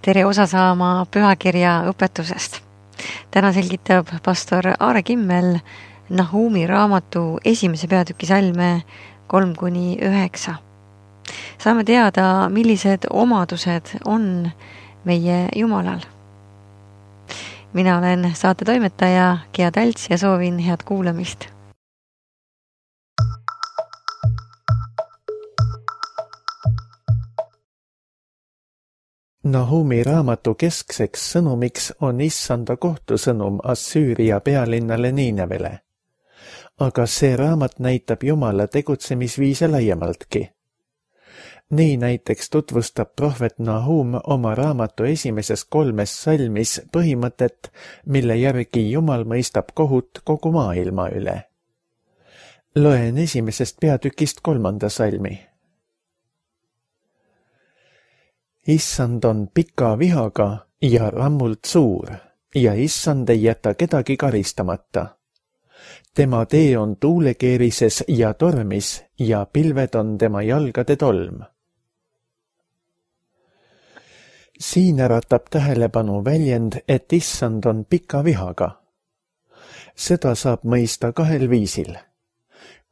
tere osa saama pühakirja õpetusest. Täna selgitab pastor Aare Kimmel Nahumi raamatu 1. peatüki salme 3-9. Saame teada, millised omadused on meie Jumalal. Mina olen saate toimetaja Gea Tälts ja soovin head kuulamist. Nahumi raamatu keskseks sõnumiks on issanda kohtusõnum Assüüria pealinnale Niinevele. Aga see raamat näitab Jumala tegutsemisviise laiemaltki. Nii näiteks tutvustab prohvet Nahum oma raamatu 1. 3 salmis põhimõtet, mille järgi Jumal mõistab kohut kogu maailma üle. Loen 1. peatükist 3. salmi. Issand on pika vihaga ja rammult suur ja issand ei jäta kedagi karistamata. Tema tee on tuulekeerises ja tormis ja pilved on tema jalgade tolm. Siin äratab tähelepanu väljend, et issand on pika vihaga. Seda saab mõista kahel viisil.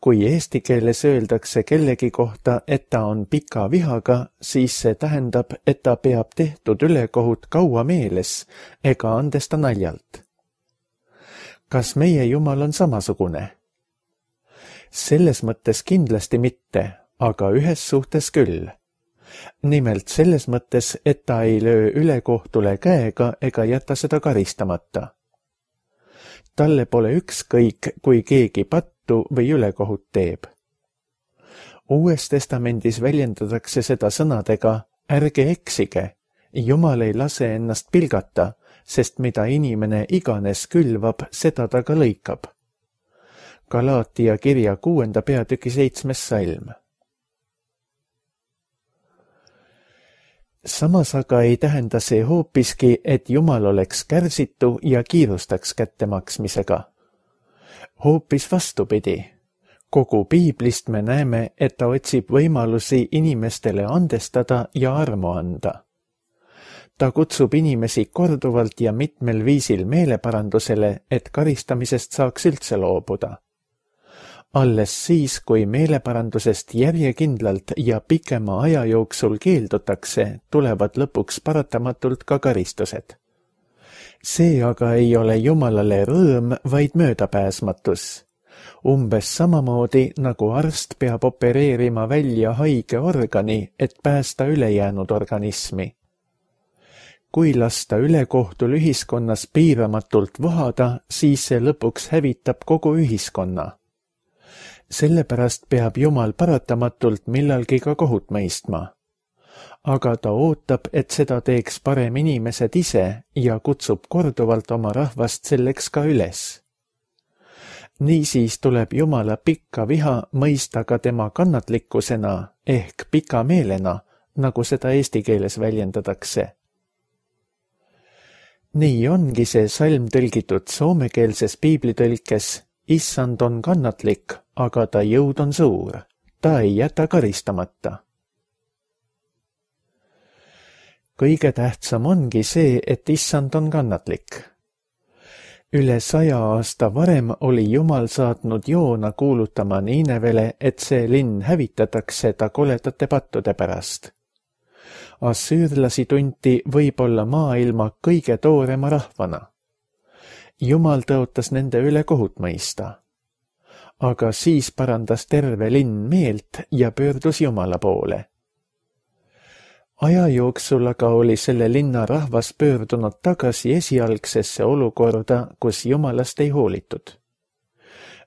Kui eesti keeles öeldakse kellegi kohta, et ta on pika vihaga, siis see tähendab, et ta peab tehtud ülekohut kaua meeles ega andesta naljalt. Kas meie Jumal on samasugune? Selles mõttes kindlasti mitte, aga ühes suhtes küll. Nimelt selles mõttes, et ta ei löö ülekohtule käega ega jäta seda karistamata. Talle pole ükskõik, kui keegi pattu või ülekohut teeb. Uues testamendis väljendatakse seda sõnadega, ärge eksige, Jumal ei lase ennast pilgata, sest mida inimene iganes külvab, seda ta ka lõikab. Galaatia kirja 6. peatüki 7. salm. Samas aga ei tähenda see hoopiski, et Jumal oleks kärsitu ja kiirustaks kättemaksmisega. Hoopis vastupidi. Kogu piiblist me näeme, et ta otsib võimalusi inimestele andestada ja armu anda. Ta kutsub inimesi korduvalt ja mitmel viisil meeleparandusele, et karistamisest saaks üldse loobuda. Alles siis, kui meeleparandusest järjekindlalt ja pikema aja jooksul keeldutakse, tulevad lõpuks paratamatult ka karistused. See aga ei ole Jumalale rõõm, vaid möödapääsmatus. Umbes samamoodi, nagu arst peab opereerima välja haige organi, et päästa ülejäänud organismi. Kui lasta ülekohtul ühiskonnas piiramatult vohada, siis see lõpuks hävitab kogu ühiskonna. Sellepärast peab Jumal paratamatult millalgi ka kohut mõistma. Aga ta ootab, et seda teeks parem inimesed ise ja kutsub korduvalt oma rahvast selleks ka üles. Niisiis tuleb Jumala pikka viha mõista ka tema kannatlikkusena ehk pika meelena, nagu seda eesti keeles väljendatakse. Nii ongi see salm tõlgitud soomekeelses piiblitõlkes. Issand on kannatlik, aga ta jõud on suur. Ta ei jäta karistamata. Kõige tähtsam ongi see, et issand on kannatlik. Üle 100 aasta varem oli Jumal saatnud Joona kuulutama Niinevele, et see linn hävitatakse ta koledate pattude pärast. Assüürlasi tunti võib-olla maailma kõige toorema rahvana. Jumal tõotas nende üle kohut mõista. Aga siis parandas terve linn meelt ja pöördus Jumala poole. Aja jooksul aga oli selle linna rahvas pöördunud tagasi esialgsesse olukorda, kus Jumalast ei hoolitud.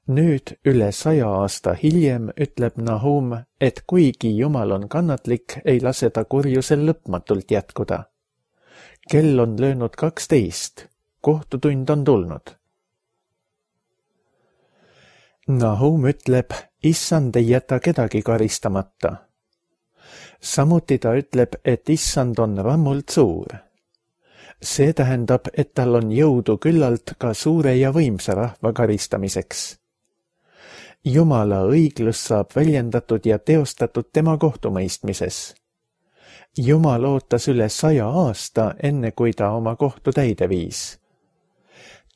Nüüd üle 100 aasta hiljem ütleb Nahum, et kuigi Jumal on kannatlik, ei lase ta kurjusel lõpmatult jätkuda. Kell on löönud 12. Kohtutund on tulnud. Nahum ütleb, issand ei jäta kedagi karistamata. Samuti ta ütleb, et issand on rammult suur. See tähendab, et tal on jõudu küllalt ka suure ja võimsa rahva karistamiseks. Jumala õiglus saab väljendatud ja teostatud tema kohtumõistmises. Jumal ootas üle 100 aasta, enne kui ta oma kohtu täide viis.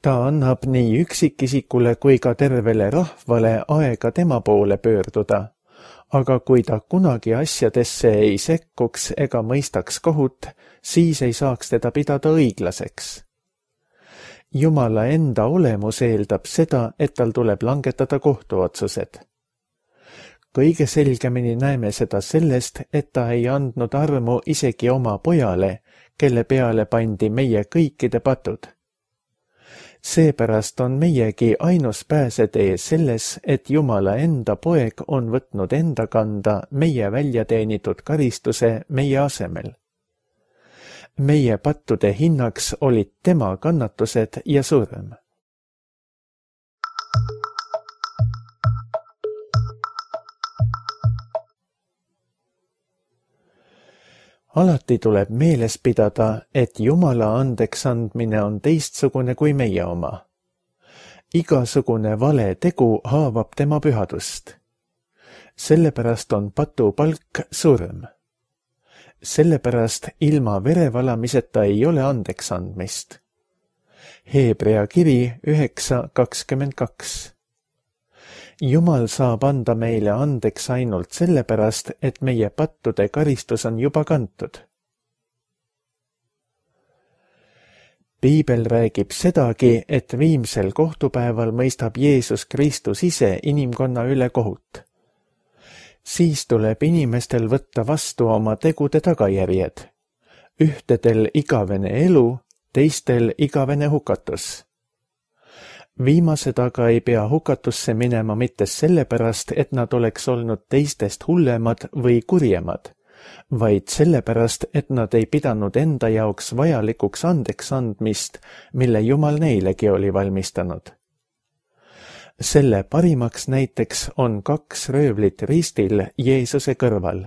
Ta annab nii üksikisikule kui ka tervele rahvale aega tema poole pöörduda, aga kui ta kunagi asjadesse ei sekkuks ega mõistaks kohut, siis ei saaks teda pidada õiglaseks. Jumala enda olemus eeldab seda, et tal tuleb langetada kohtuotsused. Kõige selgemini näeme seda sellest, et ta ei andnud armu isegi oma pojale, kelle peale pandi meie kõikide patud. Seepärast on meiegi ainus pääsetee selles, et Jumala enda poeg on võtnud enda kanda meie väljateenitud karistuse meie asemel. Meie pattude hinnaks olid tema kannatused ja surm. Alati tuleb meeles pidada, et Jumala andeks andmine on teistsugune kui meie oma. Igasugune vale tegu haavab tema pühadust. Sellepärast on patu palk surm. Sellepärast ilma verevalamiseta ei ole andeks andmist. Hebrea kiri 9:22. Jumal saab anda meile andeks ainult sellepärast, et meie pattude karistus on juba kantud. Piibel räägib sedagi, et viimsel kohtupäeval mõistab Jeesus Kristus ise inimkonna üle kohut. Siis tuleb inimestel võtta vastu oma tegude tagajärjed. Ühtedel igavene elu, teistel igavene hukatus. Viimased aga ei pea hukatusse minema mitte sellepärast, et nad oleks olnud teistest hullemad või kurjemad, vaid sellepärast, et nad ei pidanud enda jaoks vajalikuks andeks andmist, mille Jumal neilegi oli valmistanud. Selle parimaks näiteks on 2 röövlit ristil Jeesuse kõrval.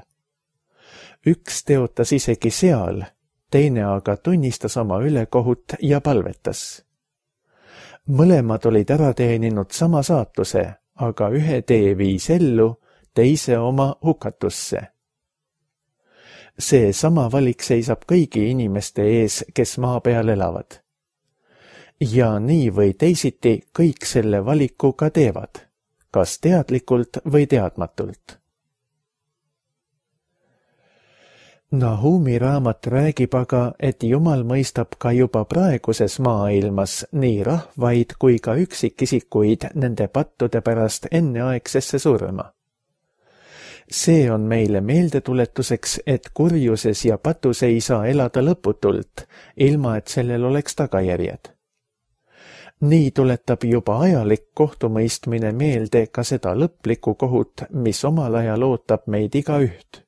Üks teotas isegi seal, teine aga tunnistas oma ülekohut ja palvetas. Mõlemad olid ära teeninud sama saatuse, aga ühe tee viis ellu, teise oma hukatusse. See sama valik seisab kõigi inimeste ees, kes maa peal elavad. Ja nii või teisiti kõik selle valiku ka teevad, kas teadlikult või teadmatult. Nahumi raamat räägib aga, et Jumal mõistab ka juba praeguses maailmas nii rahvaid kui ka üksikisikuid nende pattude pärast enneaegsesse surma. See on meile meeldetuletuseks, et kurjuses ja patus ei saa elada lõputult, ilma et sellel oleks tagajärjed. Nii tuletab juba ajalik kohtumõistmine meelde ka seda lõplikku kohut, mis omal ajal ootab meid igaüht.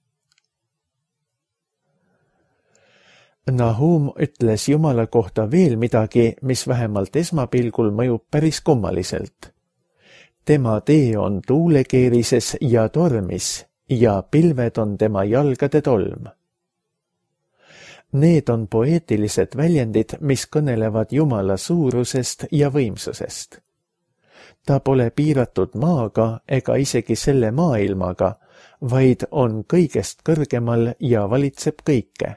Nahum ütles Jumala kohta veel midagi, mis vähemalt esmapilgul mõjub päris kummaliselt. Tema tee on tuulekeerises ja tormis ja pilved on tema jalgade tolm. Need on poeetilised väljendid, mis kõnelevad Jumala suurusest ja võimsusest. Ta pole piiratud maaga ega isegi selle maailmaga, vaid on kõigest kõrgemal ja valitseb kõike.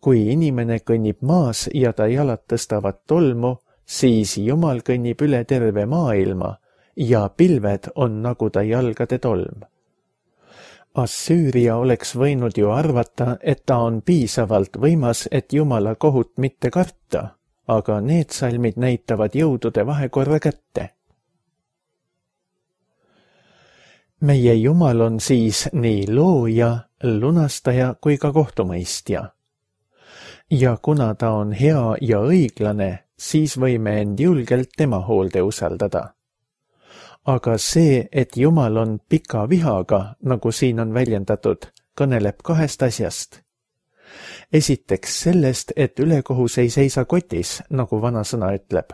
Kui inimene kõnnib maas ja ta jalad tõstavad tolmu, siis Jumal kõnnib üle terve maailma ja pilved on nagu ta jalgade tolm. Assüüria oleks võinud ju arvata, et ta on piisavalt võimas, et Jumala kohut mitte karta, aga need salmid näitavad jõudude vahekorra kätte. Meie Jumal on siis nii looja, lunastaja kui ka kohtumõistja. Ja kuna ta on hea ja õiglane, siis võime end julgelt tema hoolde usaldada. Aga see, et Jumal on pika vihaga, nagu siin on väljendatud, kõneleb 2 asjast. Esiteks sellest, et ülekohus ei seisa kotis, nagu vanasõna ütleb.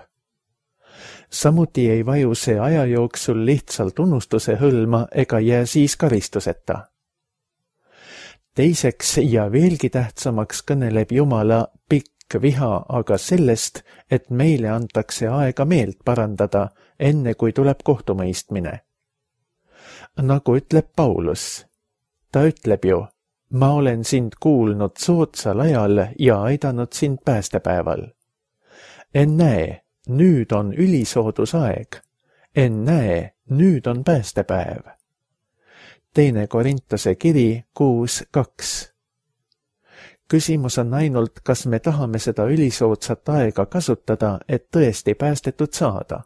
Samuti ei vaju see aja jooksul lihtsalt unustuse hõlma ega jää siis karistuseta. Teiseks ja veelgi tähtsamaks kõneleb Jumala pikk viha aga sellest, et meile antakse aega meelt parandada, enne kui tuleb kohtumõistmine. Nagu ütleb Paulus, ta ütleb ju, Ma olen sind kuulnud soodsal ajal ja aidanud sind päästepäeval. Ennäe, nüüd on ülisoodusaeg. Ennäe, nüüd on päästepäev. 2 Korintuse kiri 6:2. Küsimus on ainult, kas me tahame seda ülisoodsat aega kasutada, et tõesti päästetud saada.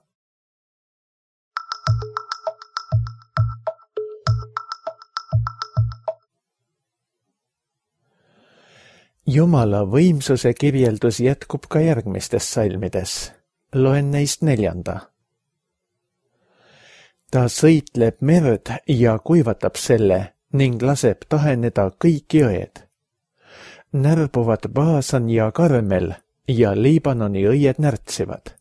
Jumala võimsuse kirjeldus jätkub ka järgmistes salmides. Loen neist 4. Ta sõitleb merd ja kuivatab selle ning laseb taheneda kõik jõed. Närbuvad Baasan ja Karmel ja Liibanoni õied närtsivad.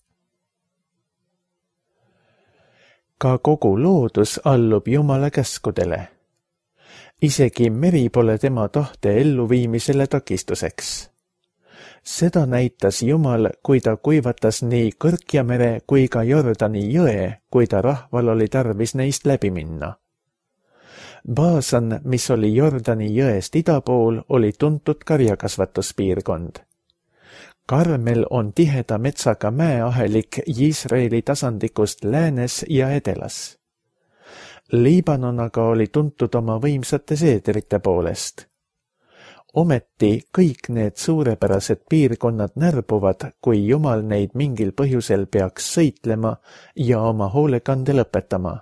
Ka kogu loodus allub Jumala käskudele. Isegi meri pole tema tahte elluviimisele takistuseks. Seda näitas Jumal, kui ta kuivatas nii Kõrkjamere kui ka Jordani jõe, kui ta rahval oli tarvis neist läbi minna. Baasan, mis oli Jordani jõest ida pool, oli tuntud karjakasvatuspiirkond. Karmel on tiheda metsaga mäeahelik Iisraeli tasandikust läänes ja edelas. Liibanon aga oli tuntud oma võimsate seedrite poolest. Ometi kõik need suurepärased piirkonnad närbuvad, kui Jumal neid mingil põhjusel peaks sõitlema ja oma hoolekande lõpetama.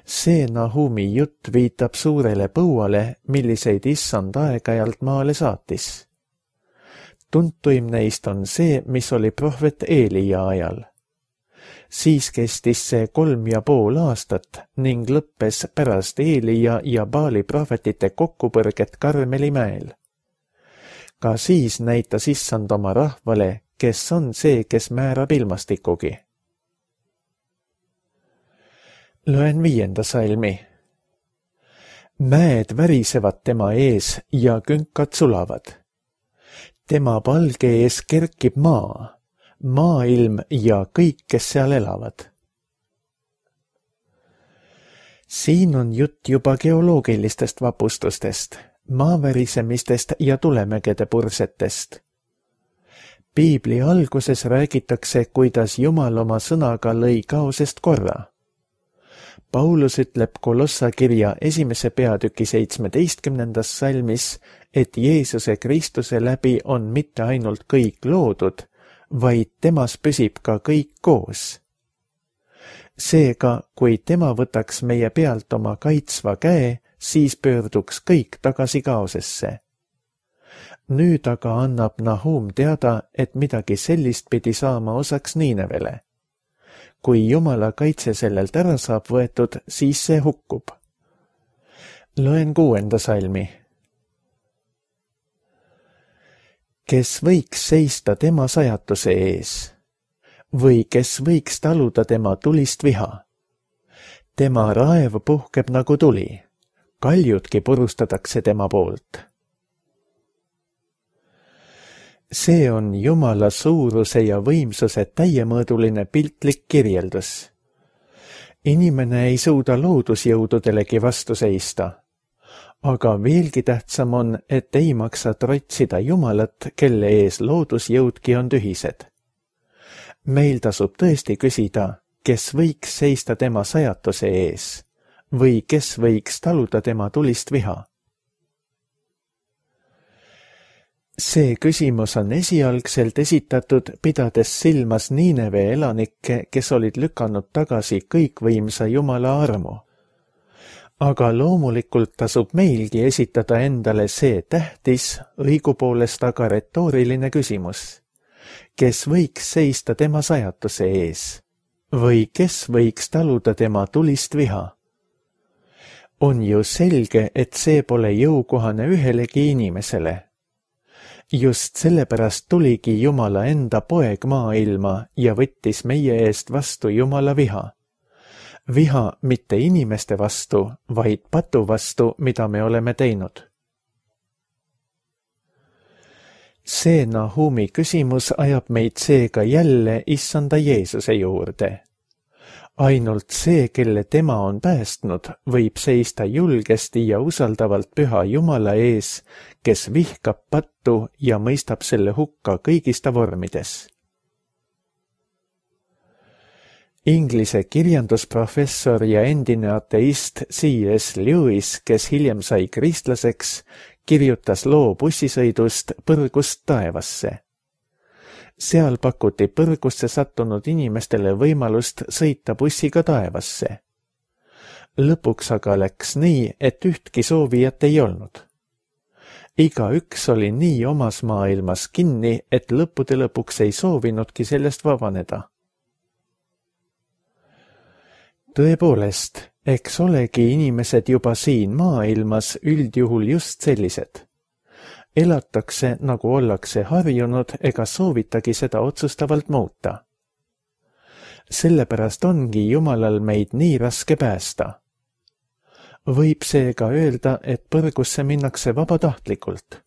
See Nahumi jutt viitab suurele põuale, milliseid issand aeg-ajalt maale saatis. Tuntuim neist on see, mis oli prohvet Eelia ajal. Siis kestis see 3,5 aastat ning lõppes pärast Eelia ja Baali prohvetite kokkupõrget Karmeli mäel. Ka siis näitas issand oma rahvale, kes on see, kes määrab ilmastikugi. Loen 5. salmi. Mäed värisevad tema ees ja künkad sulavad. Tema palge ees kerkib maa, maailm ja kõik, kes seal elavad. Siin on jutt juba geoloogilistest vapustustest, maavärisemistest ja tulemägede pursetest. Piibli alguses räägitakse, kuidas Jumal oma sõnaga lõi kaosest korra. Paulus ütleb Kolossa kirja 1. peatüki 17. salmis, et Jeesuse Kristuse läbi on mitte ainult kõik loodud, vaid temas püsib ka kõik koos. Seega, kui tema võtaks meie pealt oma kaitsva käe, siis pöörduks kõik tagasi kaosesse. Nüüd aga annab Nahum teada, et midagi sellist pidi saama osaks Niinevele. Kui Jumala kaitse sellelt ära saab võetud, siis see hukkub. Loen 6. salmi. Kes võiks seista tema sajatuse ees? Või kes võiks taluda tema tulist viha? Tema raev puhkeb nagu tuli. Kaljudki purustatakse tema poolt. See on Jumala suuruse ja võimsuse täiemõõduline piltlik kirjeldus. Inimene ei suuda loodusjõududelegi vastu seista, aga veelgi tähtsam on, et ei maksa trotsida Jumalat, kelle ees loodusjõudki on tühised. Meil tasub tõesti küsida, kes võiks seista tema sajatuse ees või kes võiks taluda tema tulist viha. See küsimus on esialgselt esitatud, pidades silmas Niineve elanikke, kes olid lükanud tagasi kõikvõimsa Jumala armu. Aga loomulikult tasub meilgi esitada endale see tähtis, õigupoolest aga retooriline küsimus. Kes võiks seista tema sajatuse ees? Või kes võiks taluda tema tulist viha? On ju selge, et see pole jõukohane ühelegi inimesele. Just sellepärast tuligi Jumala enda poeg maailma ja võttis meie eest vastu Jumala viha. Viha mitte inimeste vastu, vaid patu vastu, mida me oleme teinud. See Nahumi küsimus ajab meid seega jälle issanda Jeesuse juurde. ainult see, kelle tema on päästnud, võib seista julgesti ja usaldavalt püha Jumala ees, kes vihkab pattu ja mõistab selle hukka kõigis ta vormides. Inglise kirjandusprofessor ja endine ateist C.S. Lewis, kes hiljem sai kristlaseks, kirjutas loo bussisõidust Põrgust taevasse. Seal pakuti põrgusse sattunud inimestele võimalust sõita bussiga taevasse. Lõpuks aga läks nii, et ühtki soovijat ei olnud. Igaüks oli nii omas maailmas kinni, et lõppude lõpuks ei soovinudki sellest vabaneda. Tõepoolest, eks olegi inimesed juba siin maailmas üldjuhul just sellised. Elatakse, nagu ollakse harjunud, ega soovitagi seda otsustavalt muuta. Sellepärast ongi Jumalal meid nii raske päästa. Võib seega öelda, et põrgusse minnakse vabatahtlikult.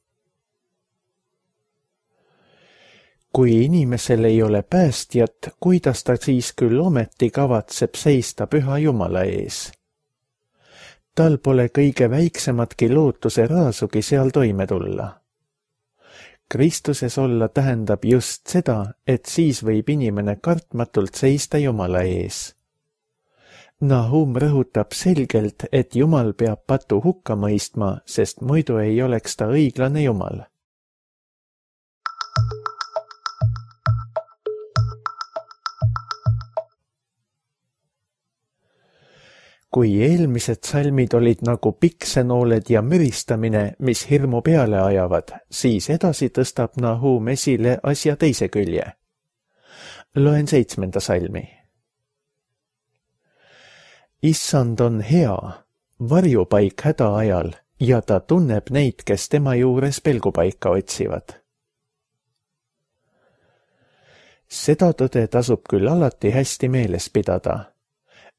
Kui inimesel ei ole päästjat, kuidas ta siis küll ometi kavatseb seista püha Jumala ees? Tal pole kõige väiksematki lootuse raasugi seal toime tulla. Kristuses olla tähendab just seda, et siis võib inimene kartmatult seista Jumala ees. Nahum rõhutab selgelt, et Jumal peab patu hukka mõistma, sest muidu ei oleks ta õiglane Jumal. Kui eelmised salmid olid nagu piksenooled ja müristamine, mis hirmu peale ajavad, siis edasi tõstab Nahum esile asja teise külje. Loen 7. salmi. Issand on hea, varjupaik häda ajal, ja ta tunneb neid, kes tema juures pelgupaika otsivad. Seda tõde tasub küll alati hästi meeles pidada.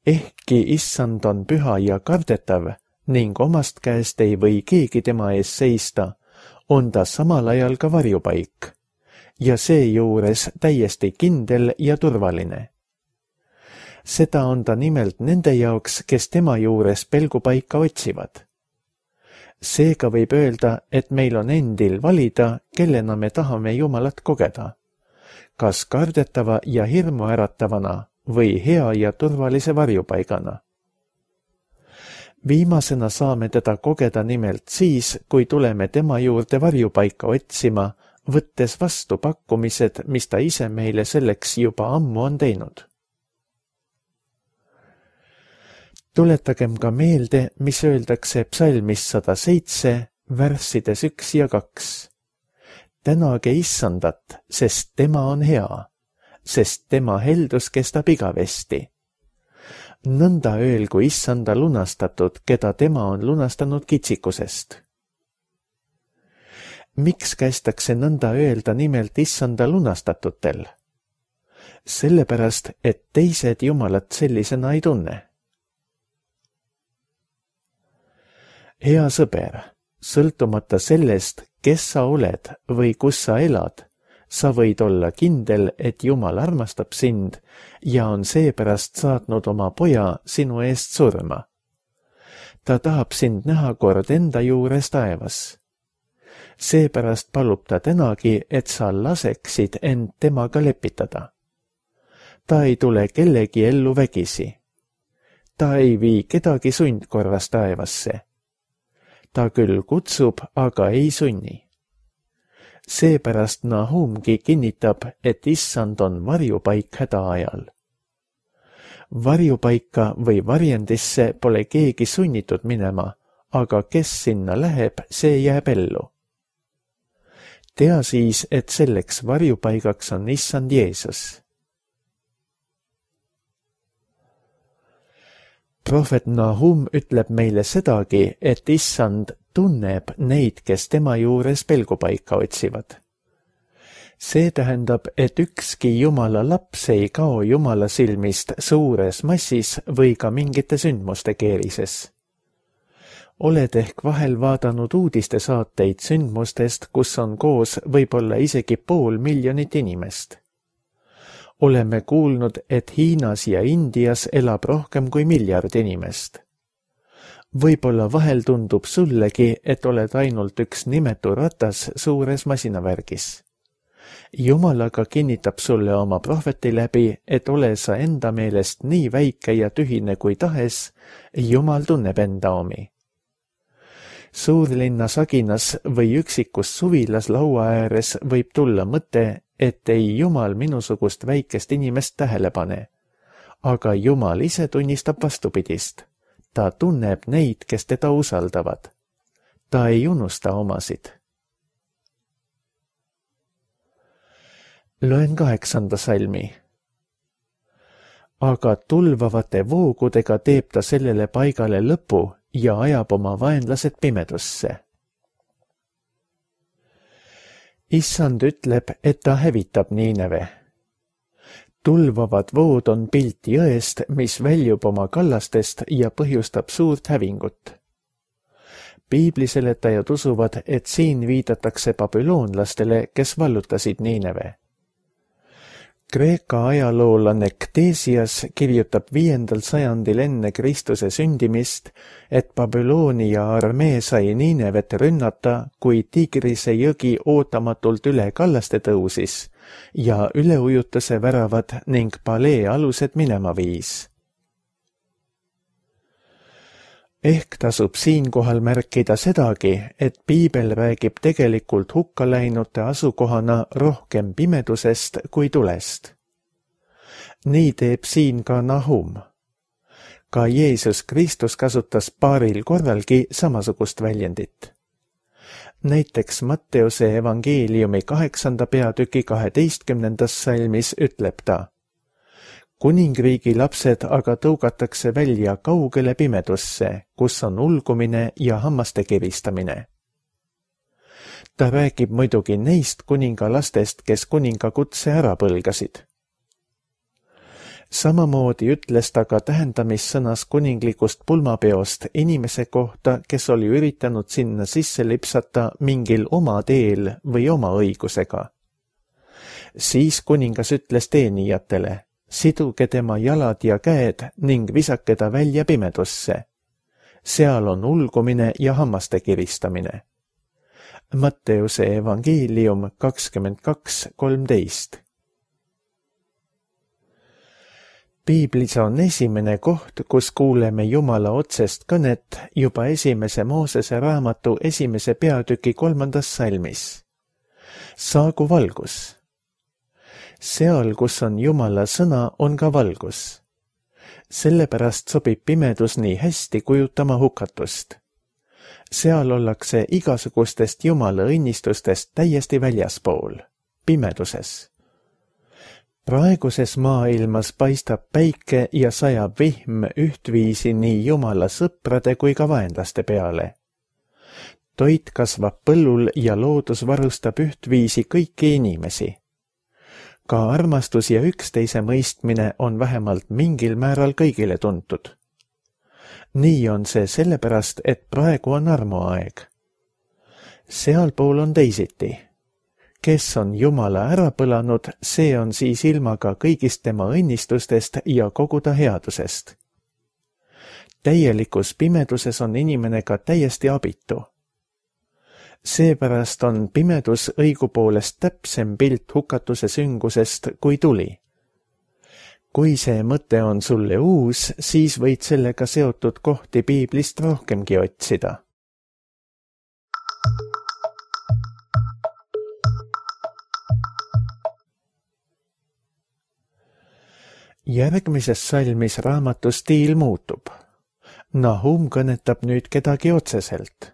Ehkki issand on püha ja kardetav ning omast käest ei või keegi tema ees seista, on ta samal ajal ka varjupaik ja seejuures täiesti kindel ja turvaline. Seda on ta nimelt nende jaoks, kes tema juures pelgupaika otsivad. Seega võib öelda, et meil on endil valida, kellena me tahame Jumalat kogeda, kas kardetava ja hirmu äratavana või hea ja turvalise varjupaigana. Viimasena saame teda kogeda nimelt siis, kui tuleme tema juurde varjupaika otsima, võttes vastu pakkumised, mis ta ise meile selleks juba ammu on teinud. Tuletagem ka meelde, mis öeldakse psalmis 107, värssides 1 ja 2. Tänage issandat, sest tema on hea, sest tema heldus kestab igavesti. Nõnda öelgu issanda lunastatud, keda tema on lunastanud kitsikusest. Miks kästakse nõnda öelda nimelt issanda lunastatutel? Sellepärast, et teised Jumalat sellisena ei tunne. Hea sõber, sõltumata sellest, kes sa oled või kus sa elad, sa võid olla kindel, et Jumal armastab sind ja on seepärast saatnud oma poja sinu eest surma. Ta tahab sind näha kord enda juures taevas. Seepärast palub ta tänagi, et sa laseksid end temaga lepitada. Ta ei tule kellegi ellu vägisi. Ta ei vii kedagi sundkorras taevasse. Ta küll kutsub, aga ei sunni. Seepärast Nahumgi kinnitab, et issand on varjupaik häda ajal. Varjupaika või varjendisse pole keegi sunnitud minema, aga kes sinna läheb, see jääb ellu. Tea siis, et selleks varjupaigaks on issand Jeesus. Prohvet Nahum ütleb meile sedagi, et issand tunneb neid, kes tema juures pelgupaika otsivad. See tähendab, et ükski Jumala laps ei kao Jumala silmist suures massis või ka mingite sündmuste keerises. Oled ehk vahel vaadanud uudistesaateid sündmustest, kus on koos võib-olla isegi 500 000 inimest. Oleme kuulnud, et Hiinas ja Indias elab rohkem kui 1 miljard inimest. Võib-olla vahel tundub sullegi, et oled ainult üks nimetu ratas suures masinavärgis. Jumal aga kinnitab sulle oma prohveti läbi, et ole sa enda meelest nii väike ja tühine kui tahes, Jumal tunneb enda omi. Suurlinna saginas või üksikus suvilas laua ääres võib tulla mõte, et ei Jumal minusugust väikest inimest tähele pane. Aga Jumal ise tunnistab vastupidist. Ta tunneb neid, kes teda usaldavad. Ta ei unusta omasid. Loen 8. salmi. Aga tulvavate voogudega teeb ta sellele paigale lõpu ja ajab oma vaenlased pimedusse. Issand ütleb, et ta hävitab Niineve. Tulvavad vood on pilt jõest, mis väljub oma kallastest ja põhjustab suurt hävingut. Piibliseletajad usuvad, et siin viidatakse babüloonlastele, kes vallutasid Niineve. Kreeka ajaloolane Ktesias kirjutab 5. sajandil enne Kristuse sündimist, et Babyloni ja armee sai Niinevet rünnata, kui Tigrise jõgi ootamatult üle kallaste tõusis ja üleujutuse väravad ning palee alused minema viis. Ehk tasub siinkohal märkida sedagi, et piibel räägib tegelikult hukkaläinute asukohana rohkem pimedusest kui tulest. Nii teeb siin ka Nahum. Ka Jeesus Kristus kasutas paaril korralgi samasugust väljendit. Näiteks Matteuse evangeeliumi 8. peatüki 12. salmis ütleb ta: Kuningriigi lapsed aga tõugatakse välja kaugele pimedusse, kus on ulgumine ja hammaste kiristamine. Ta räägib muidugi neist kuningalastest, kes kuningakutse ära põlgasid. Samamoodi ütles ta ka tähendamissõnas kuninglikust pulmapeost inimese kohta, kes oli üritanud sinna sisse lipsata mingil oma teel või oma õigusega. Siis kuningas ütles teenijatele: siduge tema jalad ja käed ning visake ta välja pimedusse. Seal on ulgumine ja hammaste kiristamine. Matteuse evangeelium 22:13. Piiblis on esimene koht, kus kuuleme Jumala otsest kõnet juba 1. Moosese raamatu 1. peatüki 3. salmis. Saagu valgus. Seal, kus on Jumala sõna, on ka valgus. Sellepärast sobib pimedus nii hästi kujutama hukatust. Seal ollakse igasugustest Jumala õnnistustest täiesti väljaspool, pimeduses. Praeguses maailmas paistab päike ja sajab vihm ühtviisi nii Jumala sõprade kui ka vaenlaste peale. Toit kasvab põllul ja loodus varustab ühtviisi kõiki inimesi. Ka armastus ja üksteise mõistmine on vähemalt mingil määral kõigile tuntud. Nii on see sellepärast, et praegu on armuaeg. Sealpool on teisiti. Kes on Jumala ära põlanud, see on siis ilma ka kõigist tema õnnistustest ja kogu ta headusest. Täielikus pimeduses on inimene ka täiesti abitu. Seepärast on pimedus õigupoolest täpsem pilt hukatuse süngusest kui tuli. Kui see mõte on sulle uus, siis võid sellega seotud kohti piiblist rohkemgi otsida. Järgmises salmis raamatu stiil muutub. Nahum kõnetab nüüd kedagi otseselt.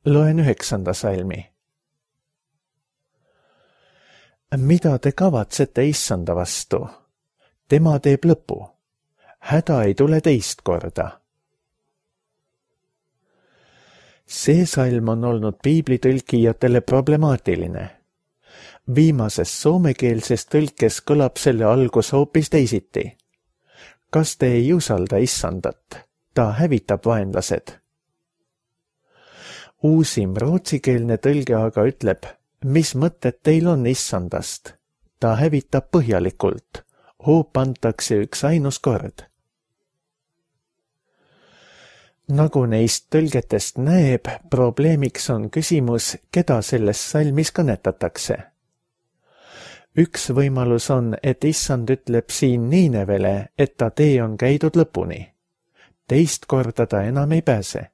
Loen 9. salmi. Mida te kavatsete Issanda vastu? Tema teeb lõpu. Häda ei tule teist korda. See salm on olnud piiblitõlkijatele problemaatiline. Viimases soomekeelses tõlkes kõlab selle algus hoopis teisiti. Kas te ei usalda Issandat? Ta hävitab vaenlased. Uusim rootsikeelne tõlge aga ütleb, mis mõtted teil on Issandast? Ta hävitab põhjalikult, hoop antakse üks ainus kord. Nagu neist tõlgetest näeb, probleemiks on küsimus, keda selles salmis kõnetatakse. Üks võimalus on, et issand ütleb siin Niinevele, et ta tee on käidud lõpuni. Teist korda ta enam ei pääse.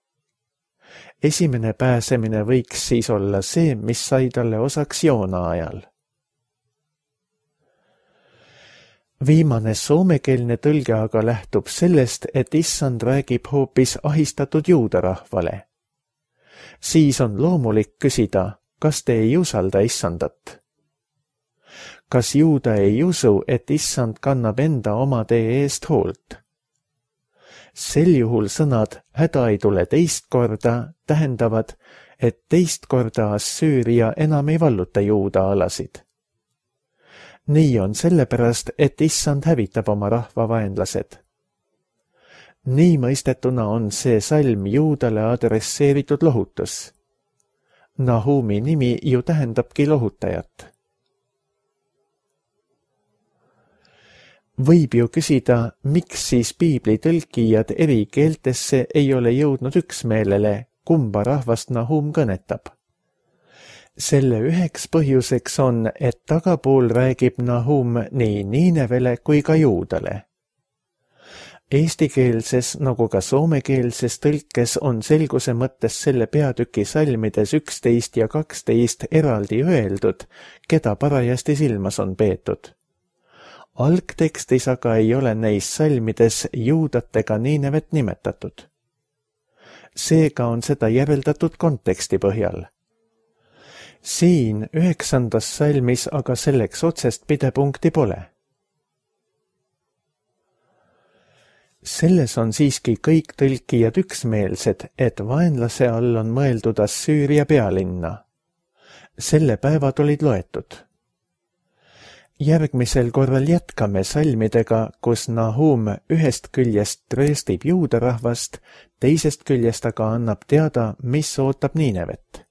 Esimene pääsemine võiks siis olla see, mis sai talle osaks Joona ajal. Viimane soomekeelne tõlge aga lähtub sellest, et issand räägib hoopis ahistatud juudarahvale. Siis on loomulik küsida, kas te ei usalda issandat? Kas juuda ei usu, et issand kannab enda omade eest hoolt? Sel juhul sõnad häda ei tule teist korda tähendavad, et teist korda Assüüria enam ei valluta juuda alasid. Nii on sellepärast, et issand hävitab oma rahva vaenlased. Nii mõistetuna on see salm juudale adresseeritud lohutus. Nahumi nimi ju tähendabki lohutajat. Võib ju küsida, miks siis piibli tõlkijad eri keeltesse ei ole jõudnud üksmeelele, kumba rahvast Nahum kõnetab. Selle üheks põhjuseks on, et tagapool räägib Nahum nii Niinevele kui ka juudale. Eestikeelses nagu ka soomekeelses tõlkes on selguse mõttes selle peatüki salmides 11 ja 12 eraldi öeldud, keda parajasti silmas on peetud. Algtekstis aga ei ole neis salmides juudatega Niinevet nimetatud. Seega on seda järeldatud konteksti põhjal. Siin 9. salmis aga selleks otsest pidepunkti pole. Selles on siiski kõik tõlkijad üksmeelsed, et vaenlase all on mõeldud Assüüria pealinna. Selle päevad olid loetud. Järgmisel korral jätkame salmidega, kus Nahum ühest küljest trööstib juudarahvast, teisest küljest aga annab teada, mis ootab Niinevet.